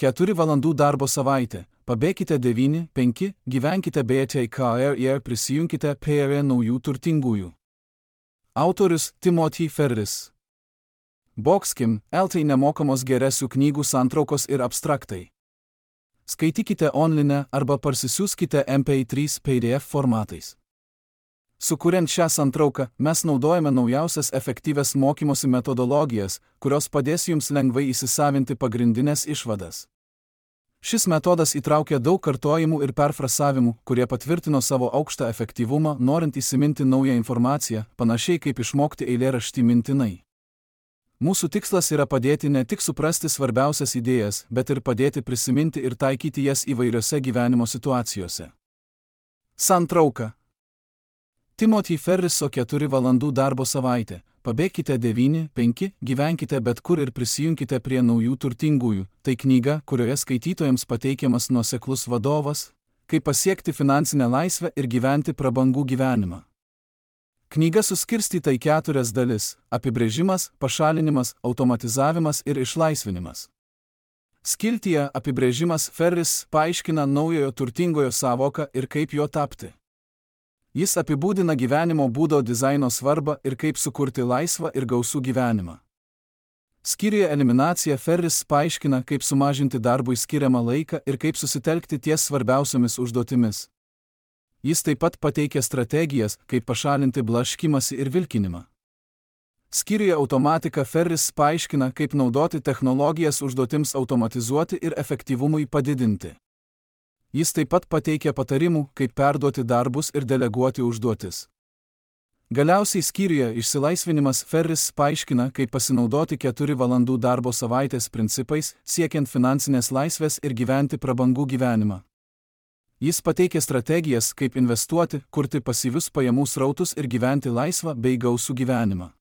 4 valandų darbo savaitė, pabėkite 9-5, gyvenkite BTKR ir prisijunkite prie naujų turtingųjų. Autorius Timothy Ferris. Boxkim, LT nemokamos geresių knygų santraukos ir abstraktai. Skaitykite online arba parsisiųskite MP3 PDF formatais. Sukuriant šią santrauką, mes naudojame naujausias efektyvias mokymosi metodologijas, kurios padės jums lengvai įsisavinti pagrindinės išvadas. Šis metodas įtraukia daug kartojimų ir perfrasavimų, kurie patvirtino savo aukštą efektyvumą, norint įsiminti naują informaciją, panašiai kaip išmokti eilėraštį mintinai. Mūsų tikslas yra padėti ne tik suprasti svarbiausias idėjas, bet ir padėti prisiminti ir taikyti jas įvairiose gyvenimo situacijose. Santrauka. Timothy Ferriso 4 valandų darbo savaitė. Pabėkite 9-5, gyvenkite bet kur ir prisijunkite prie naujų turtingųjų. Tai knyga, kurioje skaitytojams pateikiamas nuoseklus vadovas, kaip pasiekti finansinę laisvę ir gyventi prabangų gyvenimą. Knyga suskirstyta į 4 dalis – apibrėžimas, pašalinimas, automatizavimas ir išlaisvinimas. Skiltyje apibrėžimas Ferris paaiškina naujojo turtingojo sąvoką ir kaip jo tapti. Jis apibūdina gyvenimo būdo dizaino svarbą ir kaip sukurti laisvą ir gausų gyvenimą. Skyriuje eliminacija Ferris paaiškina, kaip sumažinti darbui skiriamą laiką ir kaip susitelkti ties svarbiausiomis užduotimis. Jis taip pat pateikia strategijas, kaip pašalinti blaškymąsi ir vilkinimą. Skyriuje automatika Ferris paaiškina, kaip naudoti technologijas užduotims automatizuoti ir efektyvumui padidinti. Jis taip pat pateikia patarimų, kaip perduoti darbus ir deleguoti užduotis. Galiausiai skyriuje išsilaisvinimas Ferris paaiškina, kaip pasinaudoti 4 valandų darbo savaitės principais, siekiant finansinės laisvės ir gyventi prabangų gyvenimą. Jis pateikia strategijas, kaip investuoti, kurti pasyvius pajamų srautus ir gyventi laisvą bei gausų gyvenimą.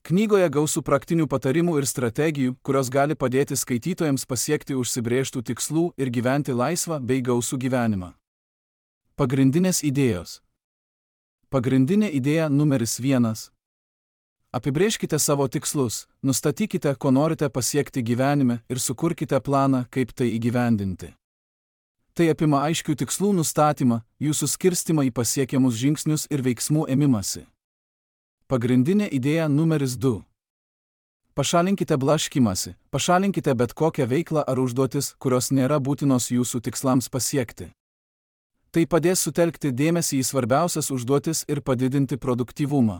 Knygoje gausų praktinių patarimų ir strategijų, kurios gali padėti skaitytojams pasiekti užsibrėžtų tikslų ir gyventi laisvą bei gausų gyvenimą. Pagrindinės idėjos. Pagrindinė idėja numeris 1. Apibrėžkite savo tikslus, nustatykite, ko norite pasiekti gyvenime ir sukurkite planą, kaip tai įgyvendinti. Tai apima aiškių tikslų nustatymą, jų suskirstimą į pasiekiamus žingsnius ir veiksmų ėmimąsi. Pagrindinė idėja numeris 2. Pašalinkite blaškymąsi, pašalinkite bet kokią veiklą ar užduotis, kurios nėra būtinos jūsų tikslams pasiekti. Tai padės sutelkti dėmesį į svarbiausias užduotis ir padidinti produktyvumą.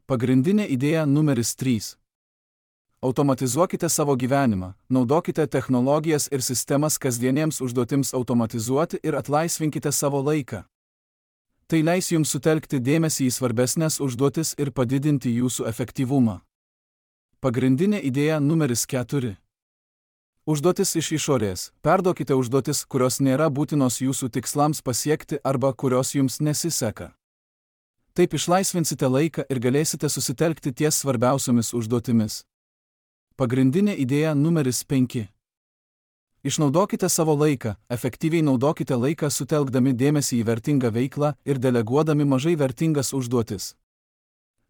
Pagrindinė idėja numeris 3. Automatizuokite savo gyvenimą, naudokite technologijas ir sistemas kasdieniems užduotims automatizuoti ir atlaisvinkite savo laiką. Tai leis jums sutelkti dėmesį į svarbesnės užduotis ir padidinti jūsų efektyvumą. Pagrindinė idėja numeris 4. Užduotis iš išorės. Perduokite užduotis, kurios nėra būtinos jūsų tikslams pasiekti arba kurios jums nesiseka. Taip išlaisvinsite laiką ir galėsite susitelkti ties svarbiausiomis užduotimis. Pagrindinė idėja numeris 5. Išnaudokite savo laiką, efektyviai naudokite laiką sutelkdami dėmesį į vertingą veiklą ir deleguodami mažai vertingas užduotis.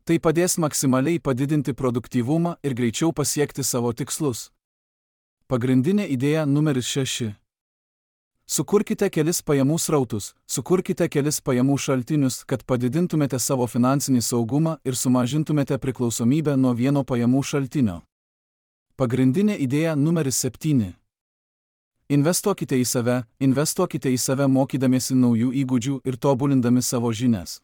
Tai padės maksimaliai padidinti produktyvumą ir greičiau pasiekti savo tikslus. Pagrindinė idėja numeris 6. Sukurkite kelis pajamų srautus, sukurkite kelis pajamų šaltinius, kad padidintumėte savo finansinį saugumą ir sumažintumėte priklausomybę nuo vieno pajamų šaltinio. Pagrindinė idėja numeris 7. Investuokite į save mokydamiesi naujų įgūdžių ir tobulindami savo žinias.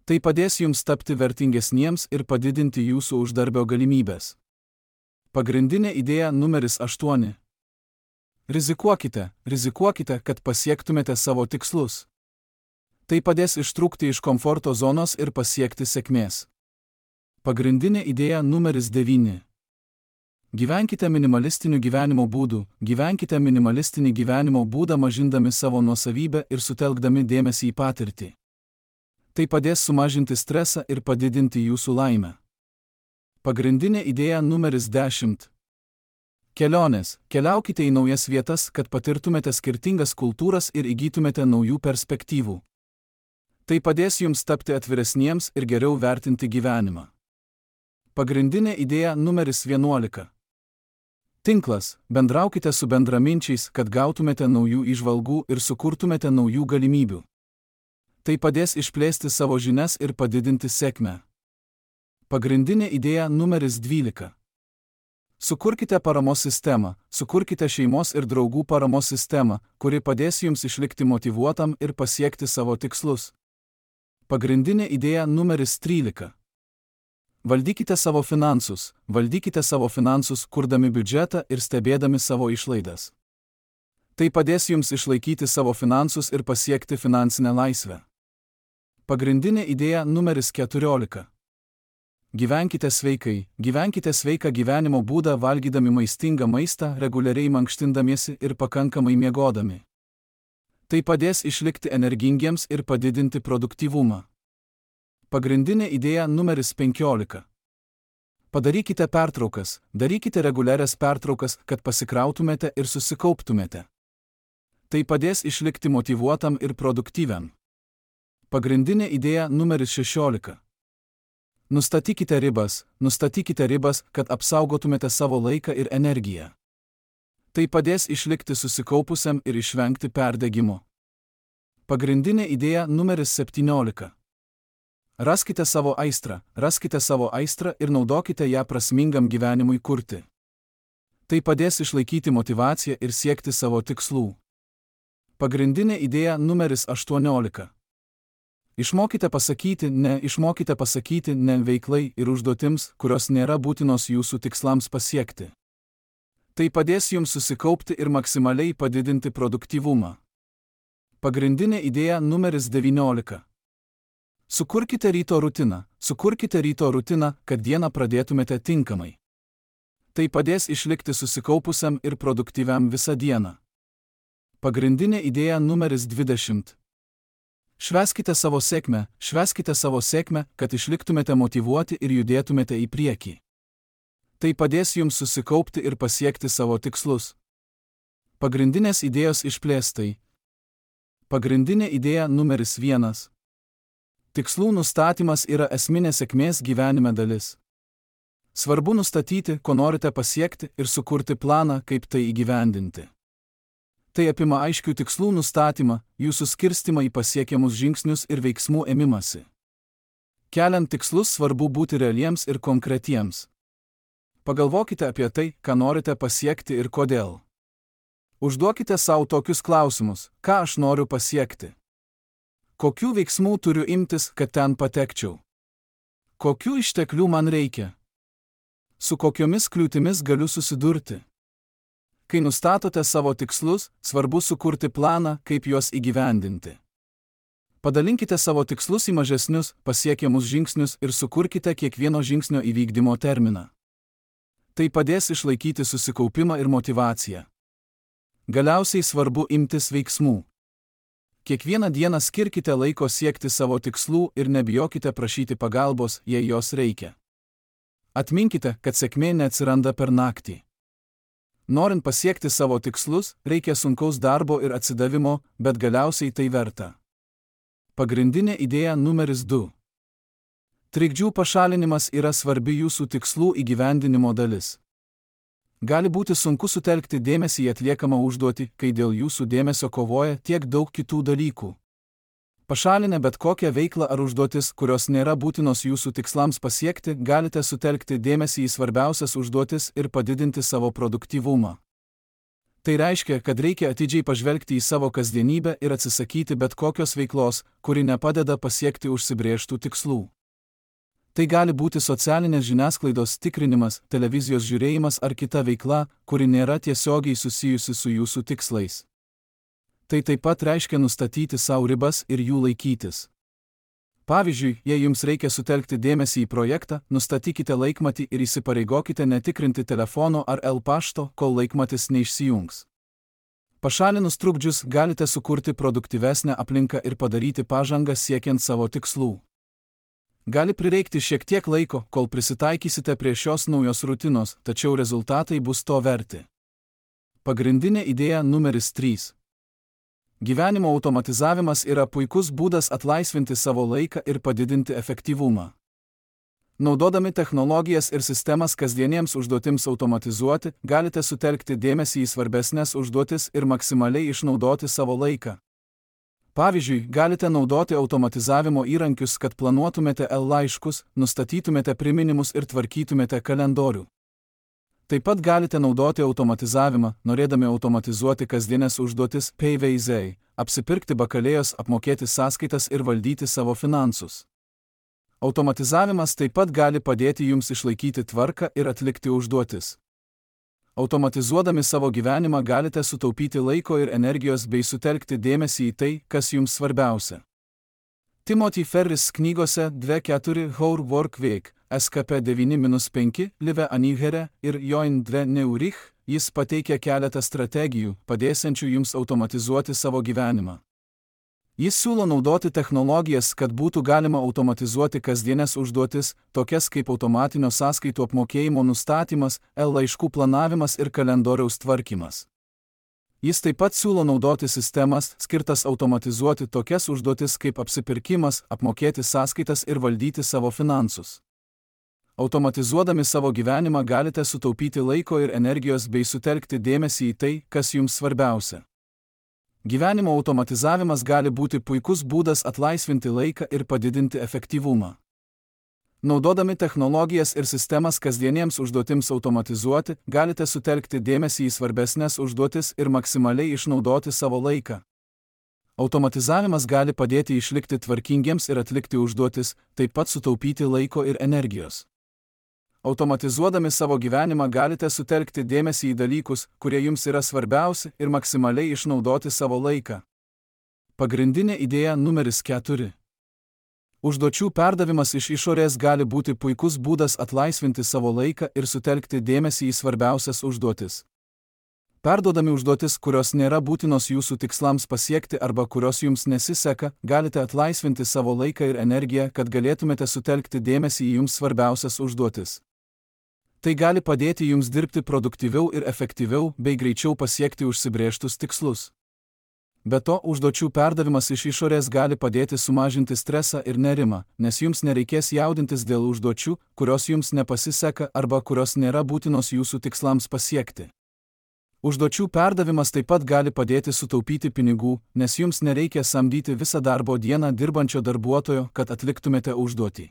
Tai padės jums tapti vertingesniems ir padidinti jūsų uždarbio galimybės. Pagrindinė idėja numeris 8. Rizikuokite, kad pasiektumėte savo tikslus. Tai padės ištrūkti iš komforto zonos ir pasiekti sėkmės. Pagrindinė idėja numeris 9. Gyvenkite minimalistiniu gyvenimo būdu, gyvenkite minimalistinį gyvenimo būdą mažindami savo nuosavybę ir sutelkdami dėmesį į patirtį. Tai padės sumažinti stresą ir padidinti jūsų laimę. Pagrindinė idėja numeris 10. Kelionės. Keliaukite į naujas vietas, kad patirtumėte skirtingas kultūras ir įgytumėte naujų perspektyvų. Tai padės jums tapti atviresniems ir geriau vertinti gyvenimą. Pagrindinė idėja numeris 11. Tinklas – bendraukite su bendraminčiais, kad gautumėte naujų įžvalgų ir sukurtumėte naujų galimybių. Tai padės išplėsti savo žinias ir padidinti sėkmę. Pagrindinė idėja numeris 12. Sukurkite paramos sistemą, sukurkite šeimos ir draugų paramos sistemą, kuri padės jums išlikti motyvuotam ir pasiekti savo tikslus. Pagrindinė idėja numeris 13. Valdykite savo finansus, kurdami biudžetą ir stebėdami savo išlaidas. Tai padės jums išlaikyti savo finansus ir pasiekti finansinę laisvę. Pagrindinė idėja numeris 14. Gyvenkite sveiką gyvenimo būdą valgydami maistingą maistą, reguliariai mankštindamiesi ir pakankamai miegodami. Tai padės išlikti energingiems ir padidinti produktyvumą. Pagrindinė idėja numeris 15. Padarykite pertraukas, darykite reguliarias pertraukas, kad pasikrautumėte ir susikauptumėte. Tai padės išlikti motyvuotam ir produktyviam. Pagrindinė idėja numeris 16. Nustatykite ribas, kad apsaugotumėte savo laiką ir energiją. Tai padės išlikti susikaupusiam ir išvengti perdegimo. Pagrindinė idėja numeris 17. Raskite savo aistrą ir naudokite ją prasmingam gyvenimui kurti. Tai padės išlaikyti motyvaciją ir siekti savo tikslų. Pagrindinė idėja numeris 18. Išmokite pasakyti ne veiklai ir užduotims, kurios nėra būtinos jūsų tikslams pasiekti. Tai padės jums susikaupti ir maksimaliai padidinti produktyvumą. Pagrindinė idėja numeris 19. Sukurkite ryto rutiną, kad dieną pradėtumėte tinkamai. Tai padės išlikti susikaupusiam ir produktyviam visą dieną. Pagrindinė idėja numeris 20. Švęskite savo sėkmę, kad išliktumėte motyvuoti ir judėtumėte į priekį. Tai padės jums susikaupti ir pasiekti savo tikslus. Pagrindinės idėjos išplėstai. Pagrindinė idėja numeris 1. Tikslų nustatymas yra esminė sėkmės gyvenime dalis. Svarbu nustatyti, ko norite pasiekti ir sukurti planą, kaip tai įgyvendinti. Tai apima aiškių tikslų nustatymą, jų suskirstymą į pasiekiamus žingsnius ir veiksmų ėmimąsi. Keliant tikslus svarbu būti realiems ir konkretiems. Pagalvokite apie tai, ką norite pasiekti ir kodėl. Užduokite savo tokius klausimus: ką aš noriu pasiekti? Kokių veiksmų turiu imtis, kad ten patekčiau? Kokių išteklių man reikia? Su kokiomis kliūtimis galiu susidurti? Kai nustatote savo tikslus, svarbu sukurti planą, kaip juos įgyvendinti. Padalinkite savo tikslus į mažesnius, pasiekiamus žingsnius ir sukurkite kiekvieno žingsnio įvykdymo terminą. Tai padės išlaikyti susikaupimą ir motyvaciją. Galiausiai svarbu imtis veiksmų. Kiekvieną dieną skirkite laiko siekti savo tikslų ir nebijokite prašyti pagalbos, jei jos reikia. Atminkite, kad sėkmė neatsiranda per naktį. Norint pasiekti savo tikslus, reikia sunkaus darbo ir atsidavimo, bet galiausiai tai verta. Pagrindinė idėja numeris 2. Trikdžių pašalinimas yra svarbi jūsų tikslų įgyvendinimo dalis. Gali būti sunku sutelkti dėmesį į atliekamą užduotį, kai dėl jūsų dėmesio kovoja tiek daug kitų dalykų. Pašalinę bet kokią veiklą ar užduotis, kurios nėra būtinos jūsų tikslams pasiekti, galite sutelkti dėmesį į svarbiausias užduotis ir padidinti savo produktyvumą. Tai reiškia, kad reikia atidžiai pažvelgti į savo kasdienybę ir atsisakyti bet kokios veiklos, kuri nepadeda pasiekti užsibrėžtų tikslų. Tai gali būti socialinės žiniasklaidos tikrinimas, televizijos žiūrėjimas ar kita veikla, kuri nėra tiesiogiai susijusi su jūsų tikslais. Tai taip pat reiškia nustatyti savo ribas ir jų laikytis. Pavyzdžiui, jei jums reikia sutelkti dėmesį į projektą, nustatykite laikmatį ir įsipareigokite netikrinti telefono ar pašto, kol laikmatis neišsijungs. Pašalinus trukdžius galite sukurti produktyvesnę aplinką ir padaryti pažangą siekiant savo tikslų. Gali prireikti šiek tiek laiko, kol prisitaikysite prie šios naujos rutinos, tačiau rezultatai bus to verti. Pagrindinė idėja numeris 3. Gyvenimo automatizavimas yra puikus būdas atlaisvinti savo laiką ir padidinti efektyvumą. Naudodami technologijas ir sistemas kasdieniems užduotims automatizuoti, galite sutelkti dėmesį į svarbesnės užduotis ir maksimaliai išnaudoti savo laiką. Pavyzdžiui, galite naudoti automatizavimo įrankius, kad planuotumėte laiškus, nustatytumėte priminimus ir tvarkytumėte kalendorių. Taip pat galite naudoti automatizavimą, norėdami automatizuoti kasdienės užduotis PVZ, apsipirkti bakalėjos, apmokėti sąskaitas ir valdyti savo finansus. Automatizavimas taip pat gali padėti jums išlaikyti tvarką ir atlikti užduotis. Automatizuodami savo gyvenimą galite sutaupyti laiko ir energijos bei sutelkti dėmesį į tai, kas jums svarbiausia. Timothy Ferris knygose 2.4 How Work Week, SKP 9-5, Live Anigere ir Join 2 Neurich, jis pateikia keletą strategijų, padėsiančių jums automatizuoti savo gyvenimą. Jis siūlo naudoti technologijas, kad būtų galima automatizuoti kasdienės užduotis, tokias kaip automatinio sąskaitų apmokėjimo nustatymas, laiškų planavimas ir kalendoriaus tvarkymas. Jis taip pat siūlo naudoti sistemas, skirtas automatizuoti tokias užduotis kaip apsipirkimas, apmokėti sąskaitas ir valdyti savo finansus. Automatizuodami savo gyvenimą galite sutaupyti laiko ir energijos bei sutelkti dėmesį į tai, kas jums svarbiausia. Gyvenimo automatizavimas gali būti puikus būdas atlaisvinti laiką ir padidinti efektyvumą. Naudodami technologijas ir sistemas kasdieniems užduotims automatizuoti, galite sutelkti dėmesį į svarbesnės užduotis ir maksimaliai išnaudoti savo laiką. Automatizavimas gali padėti išlikti tvarkingiems ir atlikti užduotis, taip pat sutaupyti laiko ir energijos. Automatizuodami savo gyvenimą galite sutelkti dėmesį į dalykus, kurie jums yra svarbiausi ir maksimaliai išnaudoti savo laiką. Pagrindinė idėja numeris 4. Užduočių perdavimas iš išorės gali būti puikus būdas atlaisvinti savo laiką ir sutelkti dėmesį į svarbiausias užduotis. Perduodami užduotis, kurios nėra būtinos jūsų tikslams pasiekti arba kurios jums nesiseka, galite atlaisvinti savo laiką ir energiją, kad galėtumėte sutelkti dėmesį į jums svarbiausias užduotis. Tai gali padėti jums dirbti produktyviau ir efektyviau bei greičiau pasiekti užsibrėžtus tikslus. Be to, užduočių perdavimas iš išorės gali padėti sumažinti stresą ir nerimą, nes jums nereikės jaudintis dėl užduočių, kurios jums nepasiseka arba kurios nėra būtinos jūsų tikslams pasiekti. Užduočių perdavimas taip pat gali padėti sutaupyti pinigų, nes jums nereikia samdyti visą darbo dieną dirbančio darbuotojo, kad atliktumėte užduotį.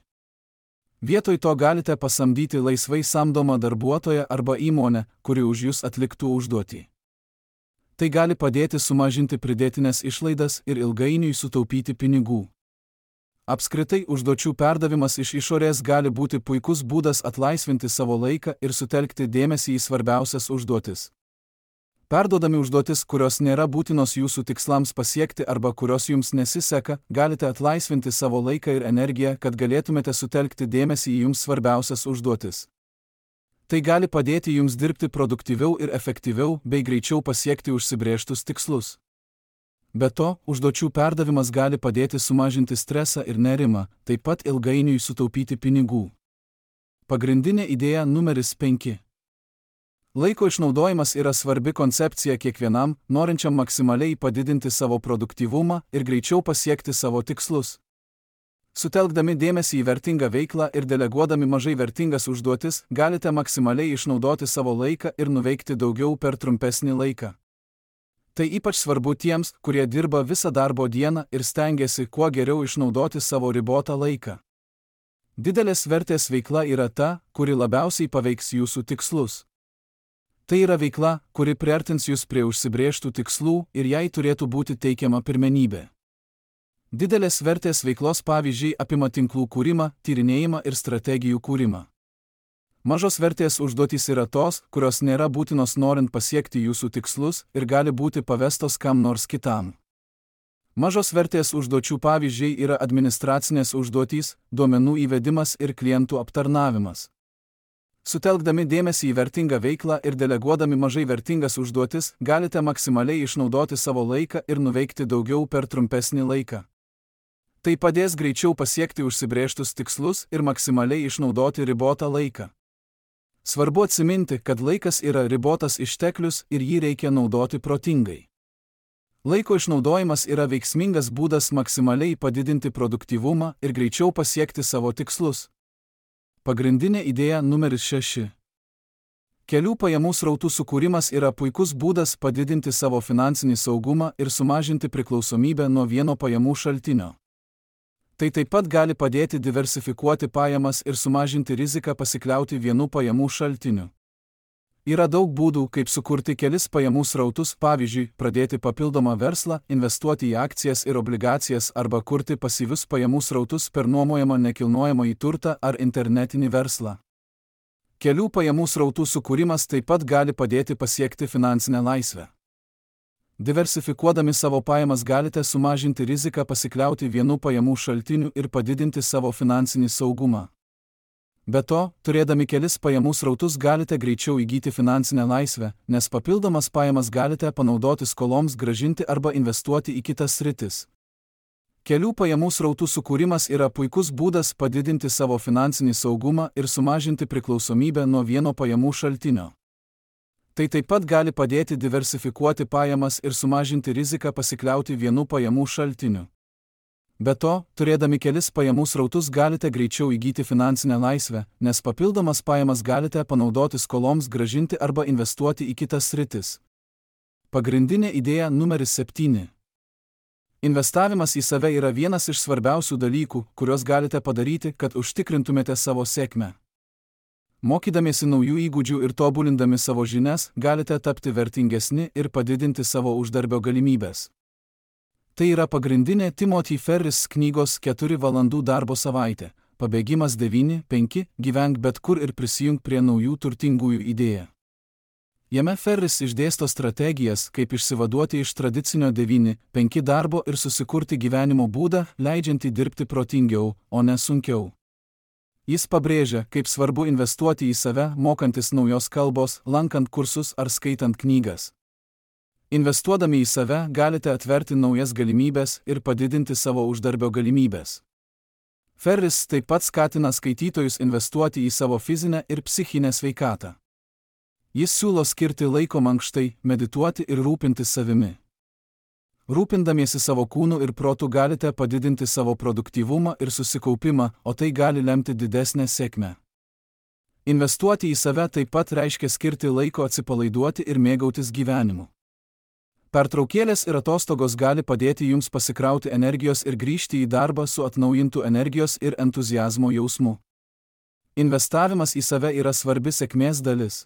Vietoj to galite pasamdyti laisvai samdomą darbuotoją arba įmonę, kuri už jūs atliktų užduotį. Tai gali padėti sumažinti pridėtinės išlaidas ir ilgainiui sutaupyti pinigų. Apskritai, užduočių perdavimas iš išorės gali būti puikus būdas atlaisvinti savo laiką ir sutelkti dėmesį į svarbiausias užduotis. Perduodami užduotis, kurios nėra būtinos jūsų tikslams pasiekti arba kurios jums nesiseka, galite atlaisvinti savo laiką ir energiją, kad galėtumėte sutelkti dėmesį į jums svarbiausias užduotis. Tai gali padėti jums dirbti produktyviau ir efektyviau bei greičiau pasiekti užsibrėžtus tikslus. Be to, užduočių perdavimas gali padėti sumažinti stresą ir nerimą, taip pat ilgainiui sutaupyti pinigų. Pagrindinė idėja numeris 5. Laiko išnaudojimas yra svarbi koncepcija kiekvienam, norinčiam maksimaliai padidinti savo produktyvumą ir greičiau pasiekti savo tikslus. Sutelkdami dėmesį į vertingą veiklą ir deleguodami mažai vertingas užduotis, galite maksimaliai išnaudoti savo laiką ir nuveikti daugiau per trumpesnį laiką. Tai ypač svarbu tiems, kurie dirba visą darbo dieną ir stengiasi kuo geriau išnaudoti savo ribotą laiką. Didelės vertės veikla yra ta, kuri labiausiai paveiks jūsų tikslus. Tai yra veikla, kuri priartins jūs prie užsibrėžtų tikslų ir jai turėtų būti teikiama pirmenybė. Didelės vertės veiklos pavyzdžiai apima tinklų kūrimą, tyrinėjimą ir strategijų kūrimą. Mažos vertės užduotys yra tos, kurios nėra būtinos norint pasiekti jūsų tikslus ir gali būti pavestos kam nors kitam. Mažos vertės užduočių pavyzdžiai yra administracinės užduotys, duomenų įvedimas ir klientų aptarnavimas. Sutelkdami dėmesį į vertingą veiklą ir deleguodami mažai vertingas užduotis, galite maksimaliai išnaudoti savo laiką ir nuveikti daugiau per trumpesnį laiką. Tai padės greičiau pasiekti užsibrėžtus tikslus ir maksimaliai išnaudoti ribotą laiką. Svarbu atsiminti, kad laikas yra ribotas išteklius ir jį reikia naudoti protingai. Laiko išnaudojimas yra veiksmingas būdas maksimaliai padidinti produktyvumą ir greičiau pasiekti savo tikslus. Pagrindinė idėja numeris 6. Kelių pajamų srautų sukūrimas yra puikus būdas padidinti savo finansinį saugumą ir sumažinti priklausomybę nuo vieno pajamų šaltinio. Tai taip pat gali padėti diversifikuoti pajamas ir sumažinti riziką pasikliauti vienu pajamų šaltiniu. Yra daug būdų, kaip sukurti kelis pajamų srautus, pavyzdžiui, pradėti papildomą verslą, investuoti į akcijas ir obligacijas arba kurti pasyvius pajamų srautus per nuomojamą nekilnojamąjį turtą ar internetinį verslą. Kelių pajamų srautų sukūrimas taip pat gali padėti pasiekti finansinę laisvę. Diversifikuodami savo pajamas galite sumažinti riziką pasikliauti vienu pajamų šaltiniu ir padidinti savo finansinį saugumą. Be to, turėdami kelis pajamų srautus galite greičiau įgyti finansinę laisvę, nes papildomas pajamas galite panaudoti skoloms grąžinti arba investuoti į kitas sritis. Kelių pajamų srautų sukūrimas yra puikus būdas padidinti savo finansinį saugumą ir sumažinti priklausomybę nuo vieno pajamų šaltinio. Tai taip pat gali padėti diversifikuoti pajamas ir sumažinti riziką pasikliauti vienu pajamų šaltiniu. Be to, turėdami kelis pajamų srautus galite greičiau įgyti finansinę laisvę, nes papildomas pajamas galite panaudoti skoloms grąžinti arba investuoti į kitas sritis. Pagrindinė idėja numeris 7. Investavimas į save yra vienas iš svarbiausių dalykų, kuriuos galite padaryti, kad užtikrintumėte savo sėkmę. Mokydamiesi naujų įgūdžių ir tobulindami savo žinias, galite tapti vertingesni ir padidinti savo uždarbio galimybės. Tai yra pagrindinė Timothy Ferris knygos 4 valandų darbo savaitė, pabėgimas 9-5, gyvenk bet kur ir prisijunk prie naujų turtingųjų idėja. Jame Ferris išdėsto strategijas, kaip išsivaduoti iš tradicinio 9-5 darbo ir susikurti gyvenimo būdą, leidžiantį dirbti protingiau, o ne sunkiau. Jis pabrėžia, kaip svarbu investuoti į save, mokantis naujos kalbos, lankant kursus ar skaitant knygas. Investuodami į save galite atverti naujas galimybės ir padidinti savo uždarbio galimybės. Ferris taip pat skatina skaitytojus investuoti į savo fizinę ir psichinę sveikatą. Jis siūlo skirti laiko mankštai, medituoti ir rūpintis savimi. Rūpindamiesi savo kūnu ir protu galite padidinti savo produktyvumą ir susikaupimą, o tai gali lemti didesnę sėkmę. Investuoti į save taip pat reiškia skirti laiko atsipalaiduoti ir mėgautis gyvenimu. Pertraukėlės ir atostogos gali padėti jums pasikrauti energijos ir grįžti į darbą su atnaujintu energijos ir entuziazmo jausmu. Investavimas į save yra svarbi sėkmės dalis.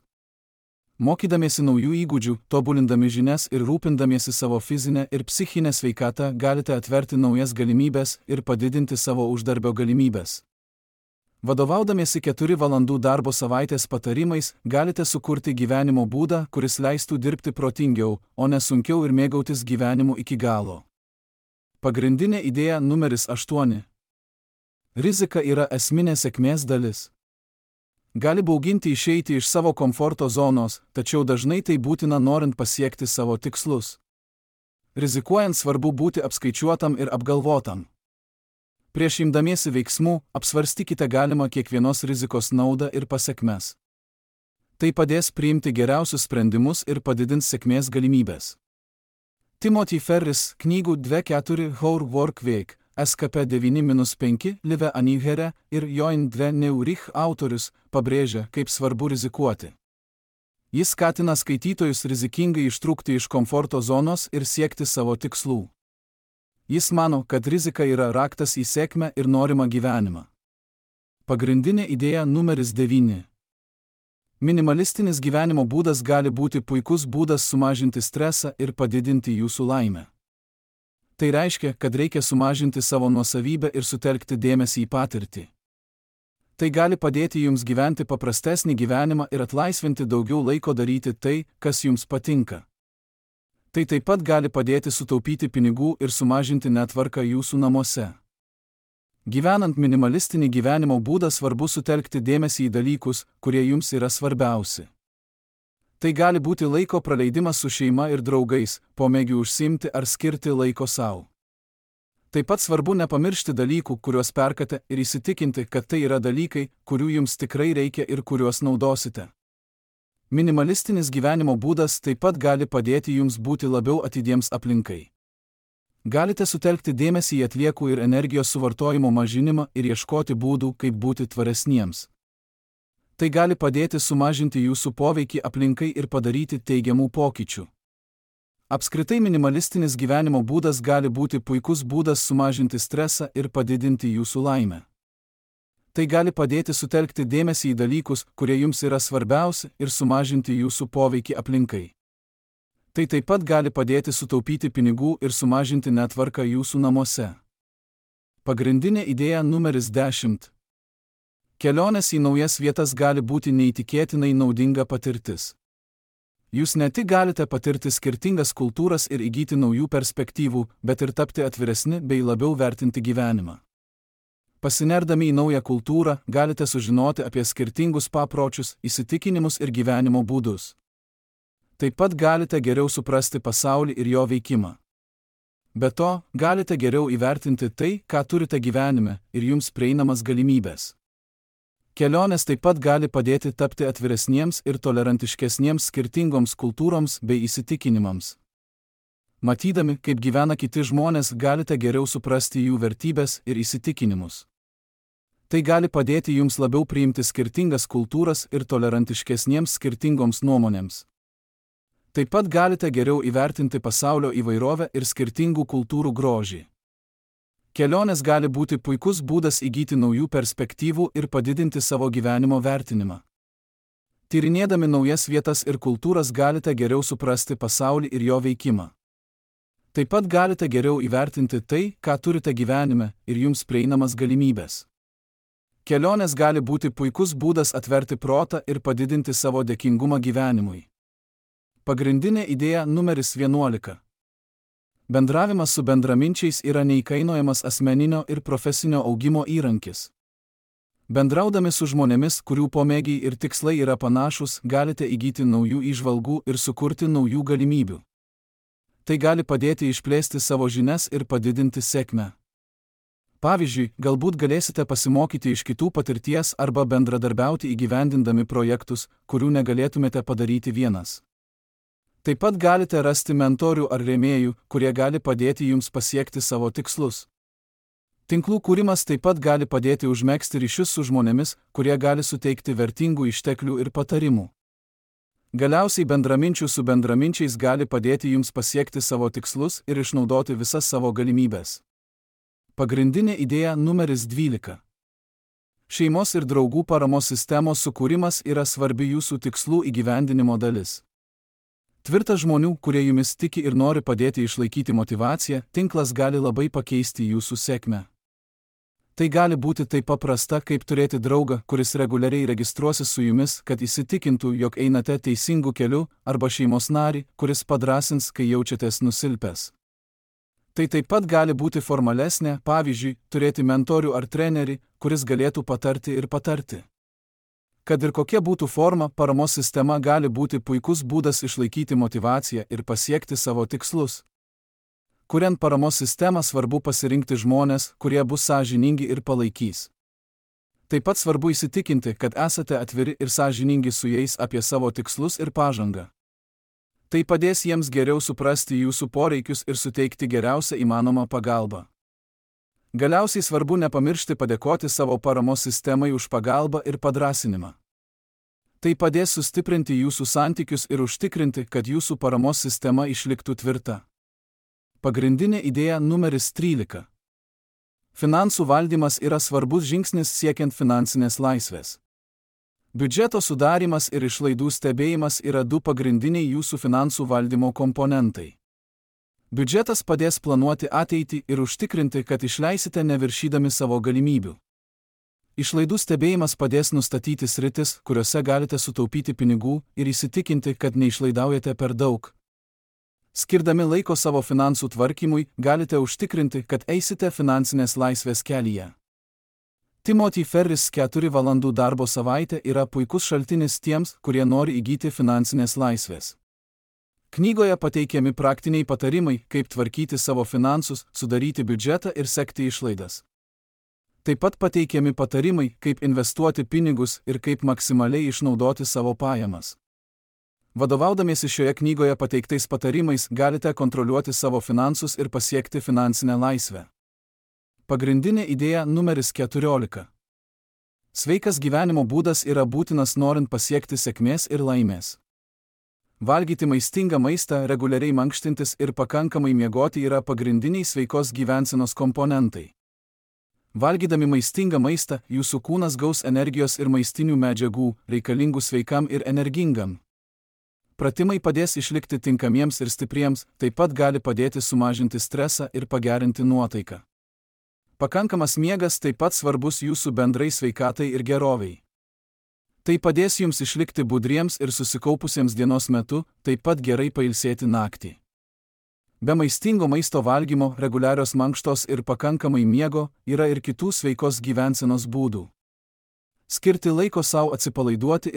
Mokydamiesi naujų įgūdžių, tobulindami žinias ir rūpindamiesi savo fizinę ir psichinę sveikatą galite atverti naujas galimybės ir padidinti savo uždarbio galimybės. Vadovaudamiesi 4 valandų darbo savaitės patarimais, galite sukurti gyvenimo būdą, kuris leistų dirbti protingiau, o ne sunkiau ir mėgautis gyvenimu iki galo. Pagrindinė idėja numeris 8. Rizika yra esminė sėkmės dalis. Gali bauginti išeiti iš savo komforto zonos, tačiau dažnai tai būtina norint pasiekti savo tikslus. Rizikuojant svarbu būti apskaičiuotam ir apgalvotam. Prieš imdamiesi veiksmų, apsvarstykite galimą kiekvienos rizikos naudą ir pasekmes. Tai padės priimti geriausius sprendimus ir padidins sėkmės galimybės. Timothy Ferris, knygų 2-4 How Work Week, SKP 9-5, Live Anighere ir Join 2 Neurich autorius, pabrėžia, kaip svarbu rizikuoti. Jis skatina skaitytojus rizikingai ištrūkti iš komforto zonos ir siekti savo tikslų. Jis mano, kad rizika yra raktas į sėkmę ir norimą gyvenimą. Pagrindinė idėja numeris 9. Minimalistinis gyvenimo būdas gali būti puikus būdas sumažinti stresą ir padidinti jūsų laimę. Tai reiškia, kad reikia sumažinti savo nuosavybę ir sutelkti dėmesį į patirtį. Tai gali padėti jums gyventi paprastesnį gyvenimą ir atlaisvinti daugiau laiko daryti tai, kas jums patinka. Tai taip pat gali padėti sutaupyti pinigų ir sumažinti netvarką jūsų namuose. Gyvenant minimalistinį gyvenimo būdą svarbu sutelkti dėmesį į dalykus, kurie jums yra svarbiausi. Tai gali būti laiko praleidimas su šeima ir draugais, pomėgiu užsiimti ar skirti laiko savo. Taip pat svarbu nepamiršti dalykų, kuriuos perkate ir įsitikinti, kad tai yra dalykai, kurių jums tikrai reikia ir kuriuos naudosite. Minimalistinis gyvenimo būdas taip pat gali padėti jums būti labiau atidiems aplinkai. Galite sutelkti dėmesį į atliekų ir energijos suvartojimo mažinimą ir ieškoti būdų, kaip būti tvaresniems. Tai gali padėti sumažinti jūsų poveikį aplinkai ir padaryti teigiamų pokyčių. Apskritai minimalistinis gyvenimo būdas gali būti puikus būdas sumažinti stresą ir padidinti jūsų laimę. Tai gali padėti sutelkti dėmesį į dalykus, kurie jums yra svarbiausi, ir sumažinti jūsų poveikį aplinkai. Tai taip pat gali padėti sutaupyti pinigų ir sumažinti netvarką jūsų namuose. Pagrindinė idėja numeris 10. Kelionės į naujas vietas gali būti neįtikėtinai naudinga patirtis. Jūs ne tik galite patirti skirtingas kultūras ir įgyti naujų perspektyvų, bet ir tapti atviresni bei labiau vertinti gyvenimą. Pasinerdami į naują kultūrą, galite sužinoti apie skirtingus papročius, įsitikinimus ir gyvenimo būdus. Taip pat galite geriau suprasti pasaulį ir jo veikimą. Be to, galite geriau įvertinti tai, ką turite gyvenime, ir jums prieinamas galimybės. Kelionės taip pat gali padėti tapti atviresniems ir tolerantiškesniems skirtingoms kultūroms bei įsitikinimams. Matydami, kaip gyvena kiti žmonės, galite geriau suprasti jų vertybės ir įsitikinimus. Tai gali padėti jums labiau priimti skirtingas kultūras ir tolerantiškesniems skirtingoms nuomonėms. Taip pat galite geriau įvertinti pasaulio įvairovę ir skirtingų kultūrų grožį. Kelionės gali būti puikus būdas įgyti naujų perspektyvų ir padidinti savo gyvenimo vertinimą. Tyrinėdami naujas vietas ir kultūras galite geriau suprasti pasaulį ir jo veikimą. Taip pat galite geriau įvertinti tai, ką turite gyvenime, ir jums prieinamas galimybės. Kelionės gali būti puikus būdas atverti protą ir padidinti savo dėkingumą gyvenimui. Pagrindinė idėja numeris 11. Bendravimas su bendraminčiais yra neįkainojamas asmeninio ir profesinio augimo įrankis. Bendraudami su žmonėmis, kurių pomėgiai ir tikslai yra panašus, galite įgyti naujų įžvalgų ir sukurti naujų galimybių. Tai gali padėti išplėsti savo žinias ir padidinti sėkmę. Pavyzdžiui, galbūt galėsite pasimokyti iš kitų patirties arba bendradarbiauti įgyvendindami projektus, kurių negalėtumėte padaryti vienas. Taip pat galite rasti mentorių ar rėmėjų, kurie gali padėti jums pasiekti savo tikslus. Tinklų kūrimas taip pat gali padėti užmegzti ryšius su žmonėmis, kurie gali suteikti vertingų išteklių ir patarimų. Galiausiai bendraminčių su bendraminčiais gali padėti jums pasiekti savo tikslus ir išnaudoti visas savo galimybės. Pagrindinė idėja numeris 12. Šeimos ir draugų paramos sistemos sukūrimas yra svarbi jūsų tikslų įgyvendinimo dalis. Tvirtas žmonių, kurie jumis tiki ir nori padėti išlaikyti motyvaciją, tinklas gali labai pakeisti jūsų sėkmę. Tai gali būti taip paprasta, kaip turėti draugą, kuris reguliariai registruosis su jumis, kad įsitikintų, jog einate teisingu keliu, arba šeimos narį, kuris padrąsins, kai jaučiatės nusilpęs. Tai taip pat gali būti formalesnė, pavyzdžiui, turėti mentorių ar trenerį, kuris galėtų patarti ir patarti. Kad ir kokia būtų forma, paramos sistema gali būti puikus būdas išlaikyti motyvaciją ir pasiekti savo tikslus. Kuriant paramos sistemą, svarbu pasirinkti žmones, kurie bus sąžiningi ir palaikys. Taip pat svarbu įsitikinti, kad esate atviri ir sąžiningi su jais apie savo tikslus ir pažangą. Tai padės jiems geriau suprasti jūsų poreikius ir suteikti geriausią įmanomą pagalbą. Galiausiai svarbu nepamiršti padėkoti savo paramos sistemai už pagalbą ir padrąsinimą. Tai padės sustiprinti jūsų santykius ir užtikrinti, kad jūsų paramos sistema išliktų tvirta. Pagrindinė idėja numeris 13. Finansų valdymas yra svarbus žingsnis siekiant finansinės laisvės. Biudžeto sudarymas ir išlaidų stebėjimas yra du pagrindiniai jūsų finansų valdymo komponentai. Biudžetas padės planuoti ateitį ir užtikrinti, kad išleisite neviršydami savo galimybių. Išlaidų stebėjimas padės nustatyti sritis, kuriuose galite sutaupyti pinigų ir įsitikinti, kad neišlaidaujate per daug. Skirdami laiko savo finansų tvarkymui, galite užtikrinti, kad eisite finansinės laisvės kelyje. Timothy Ferris 4 valandų darbo savaitė yra puikus šaltinis tiems, kurie nori įgyti finansinės laisvės. Knygoje pateikiami praktiniai patarimai, kaip tvarkyti savo finansus, sudaryti biudžetą ir sekti išlaidas. Taip pat pateikiami patarimai, kaip investuoti pinigus ir kaip maksimaliai išnaudoti savo pajamas. Vadovaudamiesi šioje knygoje pateiktais patarimais, galite kontroliuoti savo finansus ir pasiekti finansinę laisvę. Pagrindinė idėja numeris 14. Sveikas gyvenimo būdas yra būtinas norint pasiekti sėkmės ir laimės. Valgyti maistingą maistą, reguliariai mankštintis ir pakankamai miegoti yra pagrindiniai sveikos gyvensenos komponentai. Valgydami maistingą maistą, jūsų kūnas gaus energijos ir maistinių medžiagų, reikalingų sveikam ir energingam. Pratimai padės išlikti tinkamiems ir stipriems, taip pat gali padėti sumažinti stresą ir pagerinti nuotaiką. Pakankamas miegas taip pat svarbus jūsų bendrai sveikatai ir geroviai. Tai padės jums išlikti budriems ir susikaupusiems dienos metu, taip pat gerai pailsėti naktį. Be maistingo maisto valgymo, reguliarios mankštos ir pakankamai miego yra ir kitų sveikos gyvensenos būdų. Skirti laiko savo atsipalaiduoti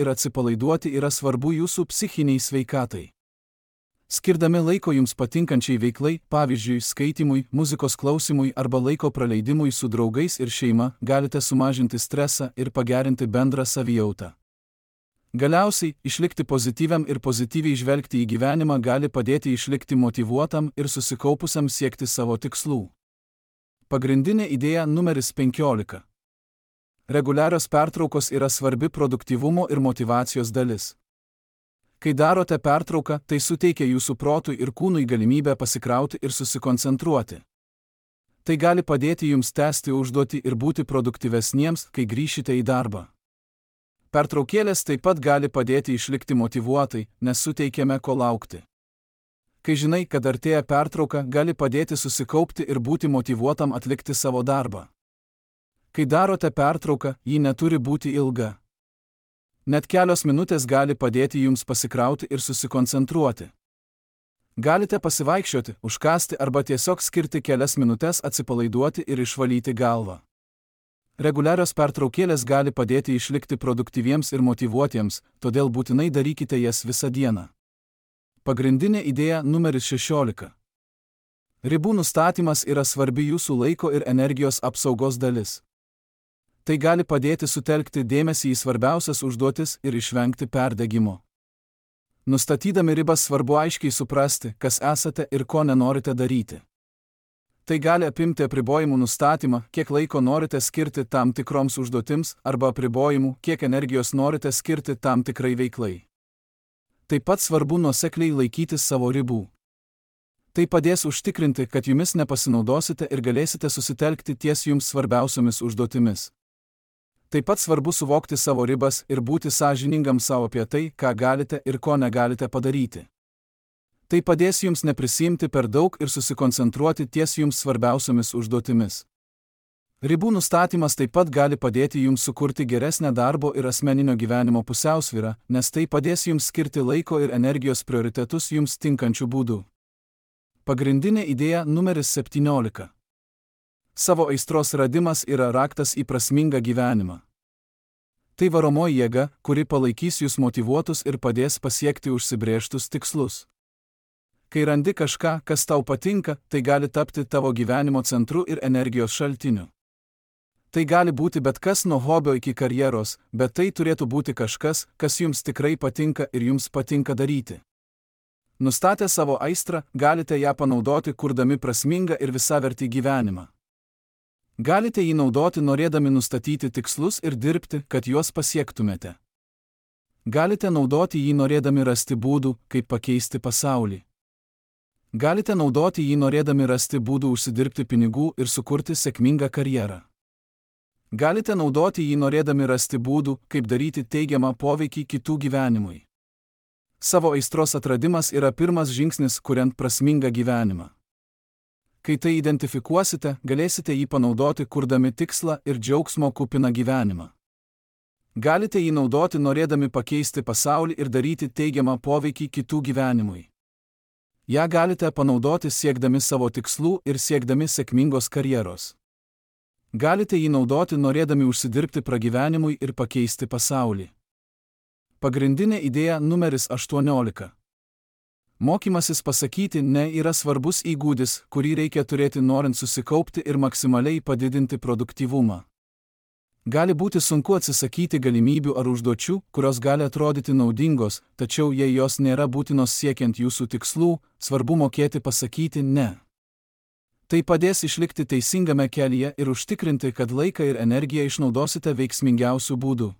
yra svarbu jūsų psichiniai sveikatai. Skirdami laiko jums patinkančiai veiklai, pavyzdžiui, skaitimui, muzikos klausimui arba laiko praleidimui su draugais ir šeima, galite sumažinti stresą ir pagerinti bendrą savijautą. Galiausiai, išlikti pozityviam ir pozityviai žvelgti į gyvenimą gali padėti išlikti motyvuotam ir susikaupusiam siekti savo tikslų. Pagrindinė idėja numeris 15. Reguliarios pertraukos yra svarbi produktyvumo ir motyvacijos dalis. Kai darote pertrauką, tai suteikia jūsų protui ir kūnui galimybę pasikrauti ir susikoncentruoti. Tai gali padėti jums tęsti užduotį ir būti produktyvesniems, kai grįšite į darbą. Pertraukėlės taip pat gali padėti išlikti motyvuotai, nes suteikiame ko laukti. Kai žinai, kad artėja pertrauka, gali padėti susikaupti ir būti motyvuotam atlikti savo darbą. Kai darote pertrauką, ji neturi būti ilga. Net kelios minutės gali padėti jums pasikrauti ir susikoncentruoti. Galite pasivaikščioti, užkąsti arba tiesiog skirti kelias minutės atsipalaiduoti ir išvalyti galvą. Reguliarios pertraukėlės gali padėti išlikti produktyviems ir motyvuotiems, todėl būtinai darykite jas visą dieną. Pagrindinė idėja numeris 16. Ribų nustatymas yra svarbi jūsų laiko ir energijos apsaugos dalis. Tai gali padėti sutelkti dėmesį į svarbiausias užduotis ir išvengti perdegimo. Nustatydami ribas svarbu aiškiai suprasti, kas esate ir ko nenorite daryti. Tai gali apimti apribojimų nustatymą, kiek laiko norite skirti tam tikroms užduotims, arba apribojimų, kiek energijos norite skirti tam tikrai veiklai. Taip pat svarbu nuosekliai laikytis savo ribų. Tai padės užtikrinti, kad jumis nepasinaudosite ir galėsite susitelkti ties jums svarbiausiomis užduotimis. Taip pat svarbu suvokti savo ribas ir būti sąžiningam savo apie tai, ką galite ir ko negalite padaryti. Tai padės jums neprisiimti per daug ir susikoncentruoti ties jums svarbiausiomis užduotimis. Ribų nustatymas taip pat gali padėti jums sukurti geresnę darbo ir asmeninio gyvenimo pusiausvyrą, nes tai padės jums skirti laiko ir energijos prioritetus jums tinkančių būdų. Pagrindinė idėja numeris 17. Savo aistros radimas yra raktas į prasmingą gyvenimą. Tai varomoji jėga, kuri palaikys jūs motyvuotus ir padės pasiekti užsibrėžtus tikslus. Kai randi kažką, kas tau patinka, tai gali tapti tavo gyvenimo centru ir energijos šaltiniu. Tai gali būti bet kas nuo hobio iki karjeros, bet tai turėtų būti kažkas, kas jums tikrai patinka ir jums patinka daryti. Nustatę savo aistrą, galite ją panaudoti, kurdami prasmingą ir visavertį gyvenimą. Galite jį naudoti norėdami nustatyti tikslus ir dirbti, kad juos pasiektumėte. Galite naudoti jį norėdami rasti būdų, kaip pakeisti pasaulį. Galite naudoti jį norėdami rasti būdų užsidirbti pinigų ir sukurti sėkmingą karjerą. Galite naudoti jį norėdami rasti būdų, kaip daryti teigiamą poveikį kitų gyvenimui. Savo aistros atradimas yra pirmas žingsnis, kuriant prasmingą gyvenimą. Kai tai identifikuosite, galėsite jį panaudoti, kurdami tikslą ir džiaugsmo kupiną gyvenimą. Galite jį naudoti norėdami pakeisti pasaulį ir daryti teigiamą poveikį kitų gyvenimui. Ja galite panaudoti siekdami savo tikslų ir siekdami sėkmingos karjeros. Galite jį naudoti norėdami užsidirbti pragyvenimui ir pakeisti pasaulį. Pagrindinė idėja numeris 18. Mokymasis pasakyti ne yra svarbus įgūdis, kurį reikia turėti norint susikaupti ir maksimaliai padidinti produktyvumą. Gali būti sunku atsisakyti galimybių ar užduočių, kurios gali atrodyti naudingos, tačiau jei jos nėra būtinos siekiant jūsų tikslų, svarbu mokėti pasakyti ne. Tai padės išlikti teisingame kelyje ir užtikrinti, kad laiką ir energiją išnaudosite veiksmingiausių būdų.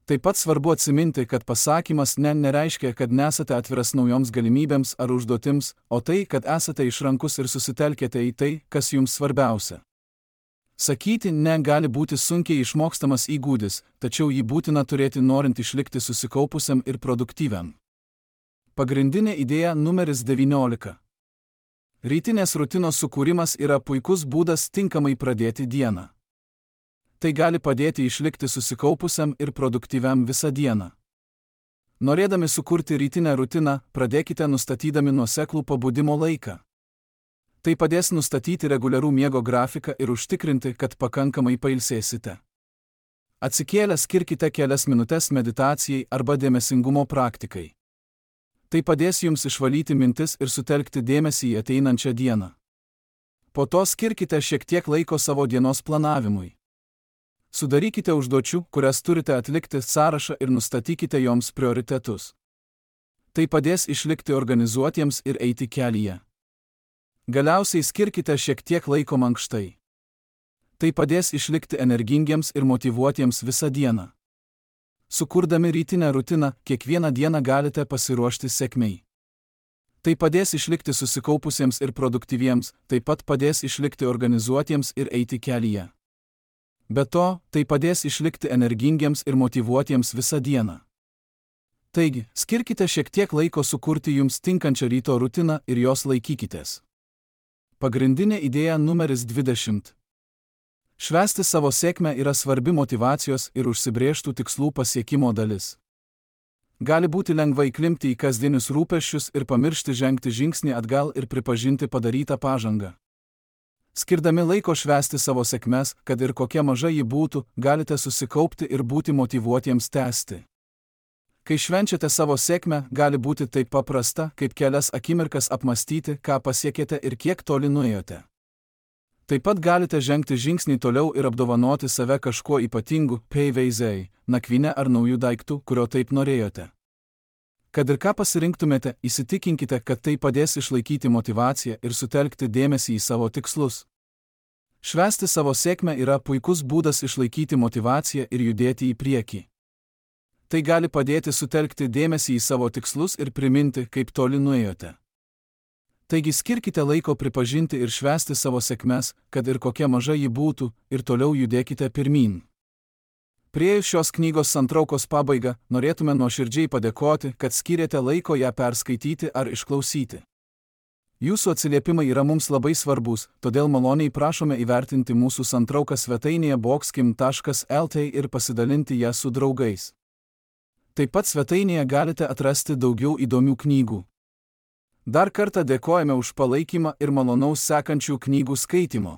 Taip pat svarbu atsiminti, kad pasakymas ne nereiškia, kad nesate atviras naujoms galimybėms ar užduotims, o tai, kad esate išrankus ir susitelkėte į tai, kas jums svarbiausia. Sakyti ne gali būti sunkiai išmokstamas įgūdis, tačiau jį būtina turėti norint išlikti susikaupusiam ir produktyviam. Pagrindinė idėja numeris 19. Rytinės rutinos sukūrimas yra puikus būdas tinkamai pradėti dieną. Tai gali padėti išlikti susikaupusiam ir produktyviam visą dieną. Norėdami sukurti rytinę rutiną, pradėkite nustatydami nuoseklų pabudimo laiką. Tai padės nustatyti reguliarų miego grafiką ir užtikrinti, kad pakankamai pailsėsite. Atsikėlę skirkite kelias minutes meditacijai arba dėmesingumo praktikai. Tai padės jums išvalyti mintis ir sutelkti dėmesį į ateinančią dieną. Po to skirkite šiek tiek laiko savo dienos planavimui. Sudarykite užduočių, kurias turite atlikti sąrašą ir nustatykite joms prioritetus. Tai padės išlikti organizuotiems ir eiti kelyje. Galiausiai skirkite šiek tiek laiko mankštai. Tai padės išlikti energingiems ir motyvuotiems visą dieną. Sukurdami rytinę rutiną, kiekvieną dieną galite pasiruošti sėkmei. Tai padės išlikti susikaupusiems ir produktyviems, taip pat padės išlikti organizuotiems ir eiti kelyje. Be to, tai padės išlikti energingiems ir motyvuotiems visą dieną. Taigi, skirkite šiek tiek laiko sukurti jums tinkančią ryto rutiną ir jos laikykitės. Pagrindinė idėja numeris 20. Švęsti savo sėkmę yra svarbi motyvacijos ir užsibrėžtų tikslų pasiekimo dalis. Gali būti lengva įklimpti į kasdienius rūpesčius ir pamiršti žengti žingsnį atgal ir pripažinti padarytą pažangą. Skirdami laiko švęsti savo sėkmes, kad ir kokia maža ji būtų, galite susikaupti ir būti motyvuotiems tęsti. Kai švenčiate savo sėkmę, gali būti taip paprasta, kaip kelias akimirkas apmastyti, ką pasiekėte ir kiek toli nuėjote. Taip pat galite žengti žingsnį toliau ir apdovanoti save kažkuo ypatingu, peiveizei, nakvyne ar naujų daiktų, kurio taip norėjote. Kad ir ką pasirinktumėte, įsitikinkite, kad tai padės išlaikyti motyvaciją ir sutelkti dėmesį į savo tikslus. Švęsti savo sėkmę yra puikus būdas išlaikyti motyvaciją ir judėti į priekį. Tai gali padėti sutelkti dėmesį į savo tikslus ir priminti, kaip toli nuėjote. Taigi skirkite laiko pripažinti ir švęsti savo sėkmes, kad ir kokia maža ji būtų, ir toliau judėkite pirmyn. Priėjus šios knygos santraukos pabaigą, norėtume nuoširdžiai padėkoti, kad skyrėte laiko ją perskaityti ar išklausyti. Jūsų atsiliepimai yra mums labai svarbus, todėl maloniai prašome įvertinti mūsų santrauką svetainėje boxkim.lt ir pasidalinti ją su draugais. Taip pat svetainėje galite atrasti daugiau įdomių knygų. Dar kartą dėkojame už palaikymą ir malonaus sekančių knygų skaitymo.